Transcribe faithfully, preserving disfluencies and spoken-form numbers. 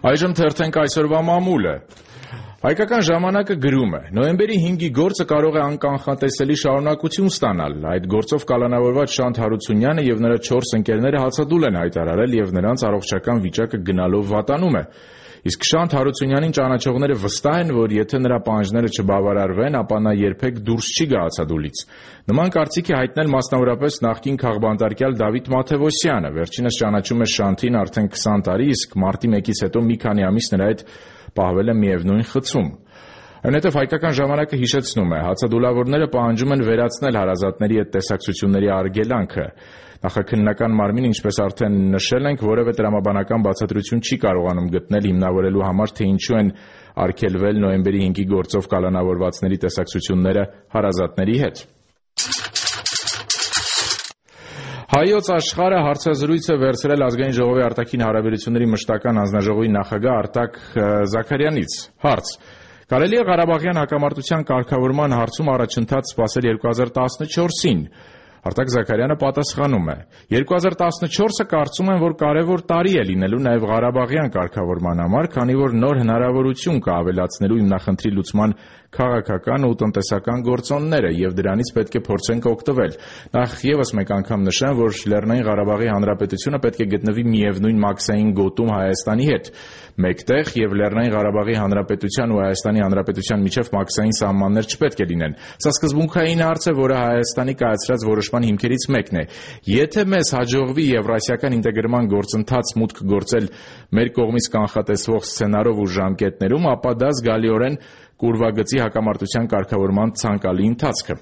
Այժմ թերթենք այսօրվա մամուլը։ Հայկական ժամանակը գրում է. նոյեմբերի հինգի գործը կարող է անկանխատեսելի շարունակություն ստանալ։ Այդ գործով կալանավորված Շանթ Հարությունյանը եւ նրա չորս ընկերները հացադուլ են հայտարարել եւ նրանց առողջական վիճակը գնալով վատանում է։ Իսկ Շանթ Հարությունյանին ճանաչողները վստահ են, որ եթե նրա պահանջները չբավարարվեն, ապա նա երբեք դուրս չի գա հացադուլից։ Նման կարծիք է հայտնել մասնավորապես նախկին քաղբանտարկյալ Դավիթ Մաթևոսյանը։ Վերջինս ճանաչում է Շանթին արդեն քսան տարի, իսկ մարտի մեկից հետո մի քանի ամիս նրա հետ պահվել է միևնույն խցում։ Այնուհետև հայկական ժամանակը հիշեցնում է, հացադուլավորները պահանջում են վերացնել հարազատների հետ տեսակցությունների արգելանքը։ Նախաքննական մարմինը, ինչպես արդեն նշել ենք, որևէ տրամաբանական բացատրություն չի կարողանում գտնել հիմնավորելու համար, թե ինչու են արգելվել նոյեմբերի հինգի գործով կալանավորվածների տեսակցությունները հարազատների հետ։ Հայոց աշխարհը հարցազրույց է վերցրել Ազգային ժողովի արտաքին հարաբերությունների մշտական հանձնաժողովի նախագահ Արտակ Զաքարյանից։ Հարց. կարելի է Ղարաբաղյան հակամարտության կարգավորման հարցում առաջընթաց սպասել երկու հազար տասնչորսին։ Արտակ Զաքարյանը պատասխանում է. երկու հազար տասնչորսը կարծում եմ, որ կարևոր տարի է լինելու նաև Ղարաբաղյան կարգավորման համար, քանի որ նոր հնարավորություն կա ավելացնելու հիմնախնդրի լուծման քաղաքական ու տնտեսական գործոնները եւ դրանից պետք է փորձենք օգտվել։ Նախ եւս մեկ անգամ նշեմ, որ Լեռնային Ղարաբաղի Հանրապետությունը պետք է գտնվի միևնույն մաքսային գոտում Հայաստանի հետ մեկտեղ եւ Լեռնային Ղարաբաղի Հանրապետության ու Հայաստանի Հանրապետության միջև մաքսային սահմաններ չպետք է լինեն։ Սա սկզբունքային հարց է, որը Հայաստանի կայացրած որոշման հիմքերից մեկն է։ Եթե մեզ հաջողվի եվրասիական ինտեգրման գործընթաց մուտք գործել մեր կողմից կանխատեսվող սցենարով ու ժամկետներում, ապա դա զգալիորեն կուրվագծի հակամարտության կարգավորման ցանկալի ընթացքը։